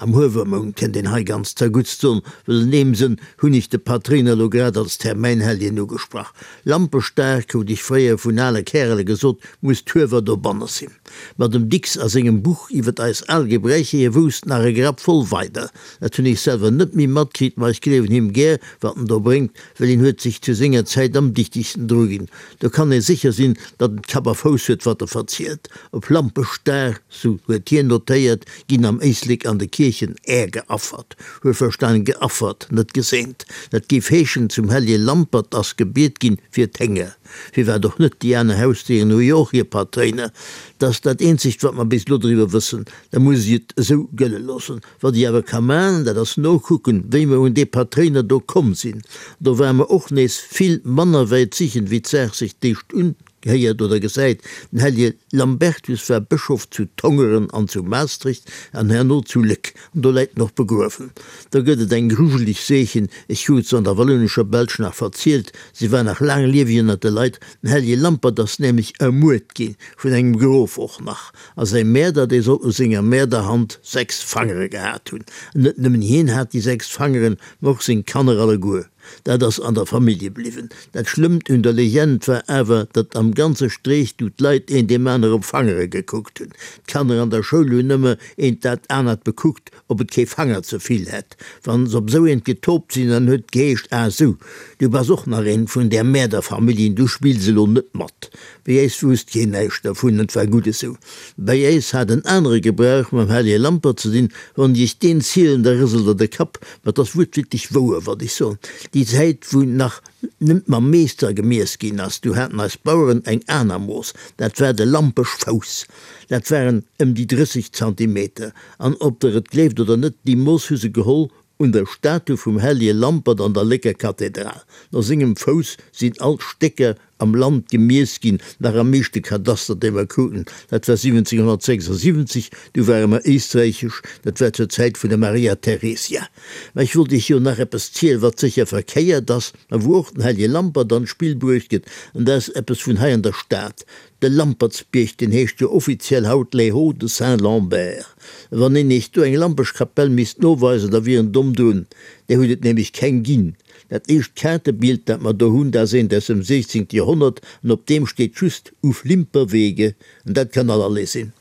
Am Huewermount, kënnt een hei ganz zerguttst soen, wëll an deem Sënn hunn ech de Patréiner elo grad als Termäinhelljen ugesprach. Lampeschdag, krut ech fréier vun ale Kärele gesot, muss d'Huewer dobanne sinn. Ma dem Dicks a sengem Buch iwwert eis al Gebräicher, hie wousst nach e Grapp voll weider. Dat hunn ech selwer net méi matkritt, ma ech gleewen him gär, wat en do bréngt, well hien huet sech zu senger Zäit am dichtegsten druginn. Do kann ee sécher sinn, datt et Kapp a Fouss huet, wat e verzielt. Op Lampeschdag, sou huet hien notéiert, ginn am Éislek an de Kierchen Är geaffert. Huel verstan, geaffert, net geseent. Dat géif heeschen, zum Hellje Lampert ass gebiet ginn fir d'Hénger. Firwat och net, déi aner Hausdéieren hu jo och hir Patréiner. Dat ass dat eenzegt, wat mer bis elo driwwer wëssen. Da muss ech et esou gëlle loossen. Wat ech awer ka maachen, dat ass nokucken, wéi mer un dee Patréiner do komm sinn. Do ware mer och nees vill manner wäit sichen, wéi d'Saach sech d'éischt unhéiert oder gesäit. Den Hellje Lambertus war Bëschof zu Tongeren an zu Maastricht an herno zu Léck. An do läit en och begruewen. Do gëtt et eng grujeleg Seechen, ech krut se an der wallounescher Belsch nach verzielt, se war nach laang lieweg ënnert de Leit, den Hellje Lampert ass nämlech ermuert gi vun engem Grof och nach, a säi Mäerder, dee soll u senger Mäerderhand 6 Fangere gehat hunn. An net nëmmen hien hat déi 6 Fangeren, ma och seng Kanner alleguer. Dat ass an der Famillje bliwwen. Dat Schlëmmt un der Legend war awer, datt am ganze Streech du d'Leit een deem aner op d'Fangere gekuckt hunn. D'Kanner an der Schoul hunn ëmmer eent dat anert bekuckt, ob et kee Fanger ze vill hätt. Wann s'op esou eent getoopt sinn, dann huet et geheescht, Ah sou, du bass och nach eent vun där Mäerderfamilljen, du spills elo net mat. Bei äis wousst keen näischt dervun, an 't war gutt esou. Bei äis hat en anere Gebrauch mam Hellje Lampert ze dinn, Wann ech iech deen zielen, da rëselt der de Kapp, ma 't ass wuertwiertlech wouer, wat ech soen. Déi Zäit, wou nach nëmmt mam Meester gemiess ginn ass, du haten eis Baueren eng aner Mooss, dat war de Lampeschfouss. Dat waren ëm déi 30 Zantimeter. An ob der et gleeft oder net, déi Mooss hu se geholl un der Statu vum Hellje Lampert an der Lécker Kathedral. No sengem Fouss sinn all d'Stécker am Land gemiess ginn, nach am meeschte Kadaster, dee mer kruten, dat war 1776, du ware mer éisträichesch, dat war zur Zäit vun der Maria Theresia. Mä ech wollt Iech jo nach eppes zielen, wat sécher verkéiert ass, a wou och den Hellje Lampert an d'Spill bruecht gëtt, an dat ass eppes vun hei an der Stad. De Lampertsbierg, deen heescht jo offiziell haut Les Hauts de Saint-Lambert. Wann een Iech do eng Lampeschkapell misst noweisen, da wier en domm drun, där huet et nämlech keng ginn. Dat éischt Kaartebild, dat mer do hunn, dat ass eent aus dem 16. Joerhonnert an op deem steet just Uf Limperwege an dat kann allerlee sinn.